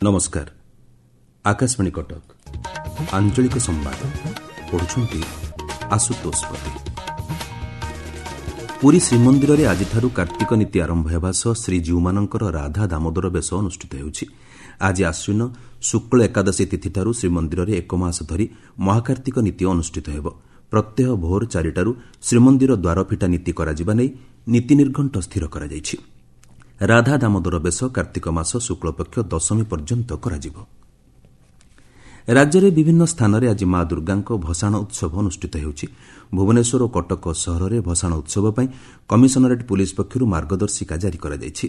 ନମସ୍କାର, ଆକାଶବାଣୀ କଟକ। ଆଞ୍ଚଳିକ ସମ୍ବାଦ ପଢୁଛନ୍ତି ଆଶୁତୋଷ ପତି। ପୁରୀ ଶ୍ରୀମନ୍ଦିରରେ ଆଜିଠାରୁ କାର୍ତ୍ତିକ ନୀତି ଆରମ୍ଭ ହେବା ସହ ଶ୍ରୀଜୀଉମାନଙ୍କର ରାଧା ଦାମୋଦର ବେଶ ଅନୁଷ୍ଠିତ ହେଉଛି। ଆଜି ଆଶ୍ୱିନ ଶୁକ୍ଳ ଏକାଦଶୀ ତିଥିଠାରୁ ଶ୍ରୀମନ୍ଦିରରେ ଏକମାସ ଧରି ମହାକାର୍ତ୍ତିକ ନୀତି ଅନୁଷ୍ଠିତ ହେବ। ପ୍ରତ୍ୟହ ଭୋର 4ଟାରୁ ଶ୍ରୀମନ୍ଦିର ଦ୍ୱାରଫିଟା ନୀତି କରାଯିବା ନେଇ ନୀତି ନିର୍ଘଣ୍ଟ ସ୍ଥିର କରାଯାଇଛି। ରାଧା ଦାମୋଦର ବେଶ କାର୍ତ୍ତିକ ମାସ ଶୁକ୍ଳପକ୍ଷ ଦଶମୀ ପର୍ଯ୍ୟନ୍ତ କରାଯିବ। ରାଜ୍ୟରେ ବିଭିନ୍ନ ସ୍ଥାନରେ ଆଜି ମା ଦୁର୍ଗାଙ୍କ ଭସାଣ ଉତ୍ସବ ଅନୁଷ୍ଠିତ ହେଉଛି। ଭୁବନେଶ୍ୱର ଓ କଟକ ସହରରେ ଭସାଣ ଉତ୍ସବ ପାଇଁ କମିଶନରେଟ୍ ପୁଲିସ୍ ପକ୍ଷରୁ ମାର୍ଗଦର୍ଶିକା ଜାରି କରାଯାଇଛି।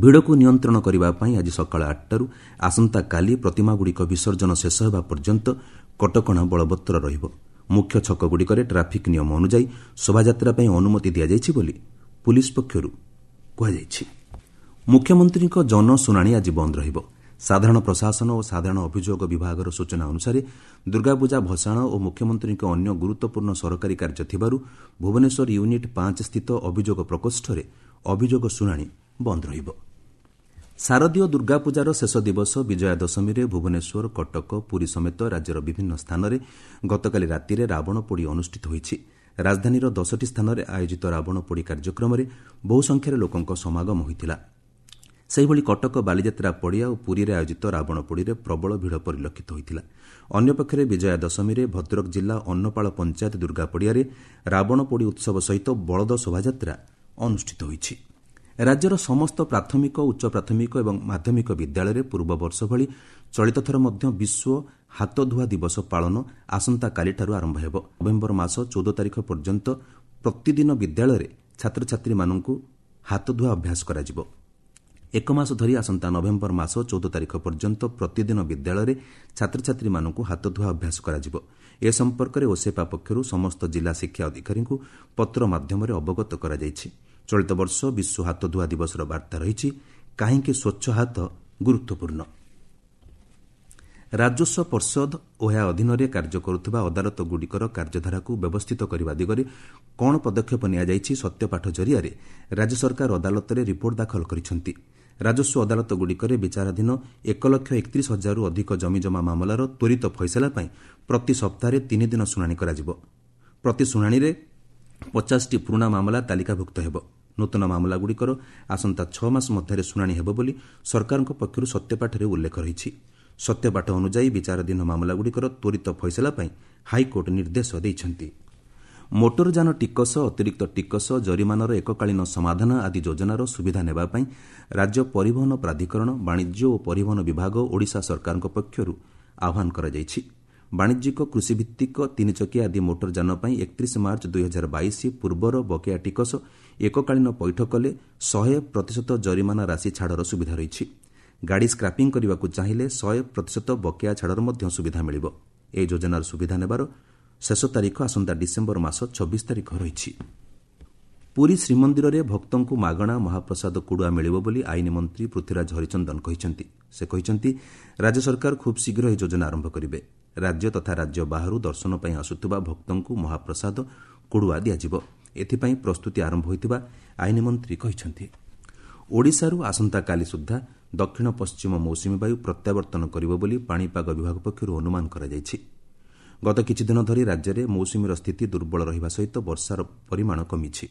ଭିଡ଼କୁ ନିୟନ୍ତ୍ରଣ କରିବା ପାଇଁ ଆଜି ସକାଳ 8ଟାରୁ ଆସନ୍ତାକାଲି ପ୍ରତିମାଗୁଡ଼ିକ ବିସର୍ଜନ ଶେଷ ହେବା ପର୍ଯ୍ୟନ୍ତ କଟକଣା ବଳବତ୍ତର ରହିବ। ମୁଖ୍ୟ ଛକଗୁଡ଼ିକରେ ଟ୍ରାଫିକ୍ ନିୟମ ଅନୁଯାୟୀ ଶୋଭାଯାତ୍ରା ପାଇଁ ଅନୁମତି ଦିଆଯାଇଛି ବୋଲି ପୁଲିସ୍ ପକ୍ଷରୁ କୁହାଯାଇଛି। ମୁଖ୍ୟମନ୍ତ୍ରୀଙ୍କ ଜନଶୁଣାଣି ଆଜି ବନ୍ଦ ରହିବ। ସାଧାରଣ ପ୍ରଶାସନ ଓ ସାଧାରଣ ଅଭିଯୋଗ ବିଭାଗର ସୂଚନା ଅନୁସାରେ ଦୁର୍ଗାପୂଜା ଭସାଣ ଓ ମୁଖ୍ୟମନ୍ତ୍ରୀଙ୍କ ଅନ୍ୟ ଗୁରୁତ୍ୱପୂର୍ଣ୍ଣ ସରକାରୀ କାର୍ଯ୍ୟ ଥିବାରୁ ଭୁବନେଶ୍ୱର ୟୁନିଟ୍ 5 ସ୍ଥିତ ଅଭିଯୋଗ ପ୍ରକୋଷ୍ଠରେ ଅଭିଯୋଗ ଶୁଣାଣି ବନ୍ଦ ରହିବ। ଶାରଦୀୟ ଦୁର୍ଗାପୂଜାର ଶେଷ ଦିବସ ବିଜୟା ଦଶମୀରେ ଭୁବନେଶ୍ୱର, କଟକ, ପୁରୀ ସମେତ ରାଜ୍ୟର ବିଭିନ୍ନ ସ୍ଥାନରେ ଗତକାଲି ରାତିରେ ରାବଣ ପୋଡ଼ି ଅନୁଷ୍ଠିତ ହୋଇଛି। ରାଜଧାନୀର 10ଟି ସ୍ଥାନରେ ଆୟୋଜିତ ରାବଣ ପୋଡ଼ି କାର୍ଯ୍ୟକ୍ରମରେ ବହୁ ସଂଖ୍ୟାରେ ଲୋକଙ୍କ ସମାଗମ ହୋଇଥିଲା। ସେହିଭଳି କଟକ ବାଲିଯାତ୍ରା ପଡ଼ିଆ ଓ ପୁରୀରେ ଆୟୋଜିତ ରାବଣ ପୋଡ଼ିରେ ପ୍ରବଳ ଭିଡ଼ ପରିଲକ୍ଷିତ ହୋଇଥିଲା। ଅନ୍ୟପକ୍ଷରେ ବିଜୟା ଦଶମୀରେ ଭଦ୍ରକ ଜିଲ୍ଲା ଅନ୍ନପାଳ ପଞ୍ଚାୟତ ଦୁର୍ଗା ପଡ଼ିଆରେ ରାବଣ ପୋଡ଼ି ଉତ୍ସବ ସହିତ ବଳଦ ଶୋଭାଯାତ୍ରା ଅନୁଷ୍ଠିତ ହୋଇଛି। ରାଜ୍ୟର ସମସ୍ତ ପ୍ରାଥମିକ, ଉଚ୍ଚ ପ୍ରାଥମିକ ଏବଂ ମାଧ୍ୟମିକ ବିଦ୍ୟାଳୟରେ ପୂର୍ବବର୍ଷ ଭଳି ଚଳିତଥର ମଧ୍ୟ ବିଶ୍ୱ ହାତଧୁଆ ଦିବସ ପାଳନ ଆସନ୍ତାକାଲିଠାରୁ ଆରମ୍ଭ ହେବ। ନଭେମ୍ବର ମାସ 14 ତାରିଖ ପର୍ଯ୍ୟନ୍ତ ପ୍ରତିଦିନ ବିଦ୍ୟାଳୟରେ ଛାତ୍ରଛାତ୍ରୀମାନଙ୍କୁ ହାତଧୁଆ ଅଭ୍ୟାସ କରାଯିବ। ଏକ ମାସ ଧରି ଆସନ୍ତା ନଭେମ୍ବର ମାସ 14 ତାରିଖ ପର୍ଯ୍ୟନ୍ତ ପ୍ରତିଦିନ ବିଦ୍ୟାଳୟରେ ଛାତ୍ରଛାତ୍ରୀମାନଙ୍କୁ ହାତଧୁଆ ଅଭ୍ୟାସ କରାଯିବ। ଏ ସମ୍ପର୍କରେ ଓସେପା ପକ୍ଷରୁ ସମସ୍ତ ଜିଲ୍ଲା ଶିକ୍ଷା ଅଧିକାରୀଙ୍କୁ ପତ୍ର ମାଧ୍ୟମରେ ଅବଗତ କରାଯାଇଛି। ଚଳିତ ବର୍ଷ ବିଶ୍ୱ ହାତଧୁଆ ଦିବସର ବାର୍ତ୍ତା ରହିଛି, କାହିଁକି ସ୍ୱଚ୍ଛ ହାତ ଗୁରୁତ୍ୱପୂର୍ଣ୍ଣ। ରାଜସ୍ୱ ପର୍ଷଦ ଓ ଏହା ଅଧୀନରେ କାର୍ଯ୍ୟ କରୁଥିବା ଅଦାଲତଗୁଡ଼ିକର କାର୍ଯ୍ୟଧାରାକୁ ବ୍ୟବସ୍ଥିତ କରିବା ଦିଗରେ କ'ଣ ପଦକ୍ଷେପ ନିଆଯାଇଛି, ସତ୍ୟପାଠ ଜରିଆରେ ରାଜ୍ୟ ସରକାର ଅଦାଲତରେ ରିପୋର୍ଟ ଦାଖଲ କରିଛନ୍ତି। ରାଜସ୍ୱ ଅଦାଲତଗୁଡ଼ିକରେ ବିଚାରାଧୀନ 1,31,000ରୁ ଅଧିକ ଜମିଜମା ମାମଲାର ତ୍ୱରିତ ଫଇସଲା ପାଇଁ ପ୍ରତି ସପ୍ତାହରେ 3 ଦିନ ଶୁଣାଣି କରାଯିବ। ପ୍ରତି ଶୁଣାଣିରେ 50ଟି ପୁରୁଣା ମାମଲା ତାଲିକାଭୁକ୍ତ ହେବ। ନୂତନ ମାମଲାଗୁଡ଼ିକର ଆସନ୍ତା 6 ମାସ ମଧ୍ୟରେ ଶୁଣାଣି ହେବ ବୋଲି ସରକାରଙ୍କ ପକ୍ଷରୁ ସତ୍ୟପାଠରେ ଉଲ୍ଲେଖ ରହିଛି। ସତ୍ୟପାଠ ଅନୁଯାୟୀ ବିଚାରାଧୀନ ମାମଲାଗୁଡ଼ିକର ତ୍ୱରିତ ଫଇସଲା ପାଇଁ ହାଇକୋର୍ଟ ନିର୍ଦ୍ଦେଶ ଦେଇଛନ୍ତି। ମୋଟରଯାନ ଟିକସ, ଅତିରିକ୍ତ ଟିକସ, ଜରିମାନାର ଏକକାଳୀନ ସମାଧାନ ଆଦି ଯୋଜନାର ସୁବିଧା ନେବା ପାଇଁ ରାଜ୍ୟ ପରିବହନ ପ୍ରାଧିକରଣ, ବାଣିଜ୍ୟ ଓ ପରିବହନ ବିଭାଗ ଓଡ଼ିଶା ସରକାରଙ୍କ ପକ୍ଷରୁ ଆହ୍ୱାନ କରାଯାଇଛି। ବାଣିଜ୍ୟିକ, କୃଷିଭିତ୍ତିକ, ତିନିଚକିଆ ଆଦି ମୋଟରଯାନ ପାଇଁ 31 ମାର୍ଚ୍ଚ 2022 ପୂର୍ବର ବକେୟା ଟିକସ ଏକକାଳୀନ ପୈଠ କଲେ 100% ଜରିମାନା ରାଶି ଛାଡ଼ର ସୁବିଧା ରହିଛି। ଗାଡ଼ି ସ୍କ୍ରାପିଂ କରିବାକୁ ଚାହିଁଲେ 100% ବକେୟା ଛାଡ଼ର ମଧ୍ୟ ସୁବିଧା ମିଳିବ। ଏହି ଯୋଜନାର ସୁବିଧା ନେବାର ଶେଷ ତାରିଖ ଆସନ୍ତା ଡିସେମ୍ବର ମାସ 26 ତାରିଖ ରହିଛି। ପୁରୀ ଶ୍ରୀମନ୍ଦିରରେ ଭକ୍ତଙ୍କୁ ମାଗଣା ମହାପ୍ରସାଦ କୁଡ଼ୁଆ ମିଳିବ ବୋଲି ଆଇନ ମନ୍ତ୍ରୀ ପୃଥ୍ୱୀରାଜ ହରିଚନ୍ଦନ କହିଛନ୍ତି। ସେ କହିଛନ୍ତି, ରାଜ୍ୟ ସରକାର ଖୁବ୍ ଶୀଘ୍ର ଏହି ଯୋଜନା ଆରମ୍ଭ କରିବେ। ରାଜ୍ୟ ତଥା ରାଜ୍ୟ ବାହାରୁ ଦର୍ଶନ ପାଇଁ ଆସୁଥିବା ଭକ୍ତଙ୍କୁ ମହାପ୍ରସାଦ କୁଡ଼ୁଆ ଦିଆଯିବ। ଏଥିପାଇଁ ପ୍ରସ୍ତୁତି ଆରମ୍ଭ ହୋଇଥିବା ଆଇନ ମନ୍ତ୍ରୀ କହିଛନ୍ତି। ଓଡ଼ିଶାରୁ ଆସନ୍ତାକାଲି ସୁଦ୍ଧା ଦକ୍ଷିଣ ପଶ୍ଚିମ ମୌସୁମୀ ବାୟୁ ପ୍ରତ୍ୟାବର୍ତ୍ତନ କରିବ ବୋଲି ପାଣିପାଗ ବିଭାଗ ପକ୍ଷରୁ ଅନୁମାନ କରାଯାଇଛି। ଗତ କିଛିଦିନ ଧରି ରାଜ୍ୟରେ ମୌସୁମୀର ସ୍ଥିତି ଦୁର୍ବଳ ରହିବା ସହିତ ବର୍ଷାର ପରିମାଣ କମିଛି।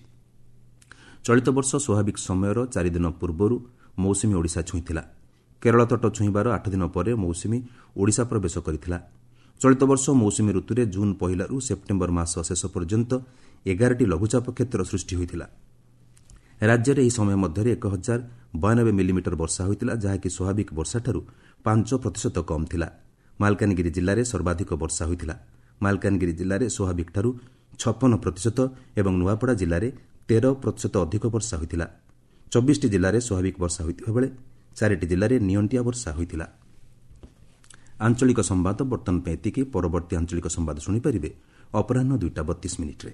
ଚଳିତ ବର୍ଷ ସ୍ୱାଭାବିକ ସମୟର 4 ଦିନ ପୂର୍ବରୁ ମୌସୁମୀ ଓଡ଼ିଶା ଛୁଇଁଥିଲା। କେରଳ ତଟ ଛୁଇଁବାର 8 ଦିନ ପରେ ମୌସୁମୀ ଓଡ଼ିଶା ପ୍ରବେଶ କରିଥିଲା। ଚଳିତ ବର୍ଷ ମୌସୁମୀ ଋତୁରେ ଜୁନ୍ 1ରୁ ସେପ୍ଟେମ୍ବର ମାସ ଶେଷ ପର୍ଯ୍ୟନ୍ତ 11ଟି ଲଘୁଚାପ କ୍ଷେତ୍ର ସୃଷ୍ଟି ହୋଇଥିଲା। ରାଜ୍ୟରେ ଏହି ସମୟ ମଧ୍ୟରେ 1092 ମିଲିମିଟର ବର୍ଷା ହୋଇଥିଲା, ଯାହାକି ସ୍ୱାଭାବିକ ବର୍ଷାଠାରୁ 5% କମ୍ ଥିଲା। ମାଲକାନଗିରି ଜିଲ୍ଲାରେ ସର୍ବାଧିକ ବର୍ଷା ହୋଇଥିଲା। ମାଲକାନଗିରି ଜିଲ୍ଲାରେ ସ୍ୱାଭାବିକଠାରୁ 56% ଏବଂ ନୂଆପଡ଼ା ଜିଲ୍ଲାରେ 13% ଅଧିକ ବର୍ଷା ହୋଇଥିଲା। 24ଟି ଜିଲ୍ଲାରେ ସ୍ୱାଭାବିକ ବର୍ଷା ହୋଇଥିବା ବେଳେ 4ଟି ଜିଲ୍ଲାରେ ନିଅଣ୍ଟିଆ ବର୍ଷା ହୋଇଥିଲା। ଆଞ୍ଚଳିକ ସମ୍ବାଦ ବର୍ତ୍ତମାନ ପାଇଁ ଏତିକି। ପରବର୍ତ୍ତୀ ଆଞ୍ଚଳିକ ସମ୍ବାଦ ଶୁଣିପାରିବେ ଅପରାହ୍ନ 2ଟା 32 ମିନିଟ୍ରେ।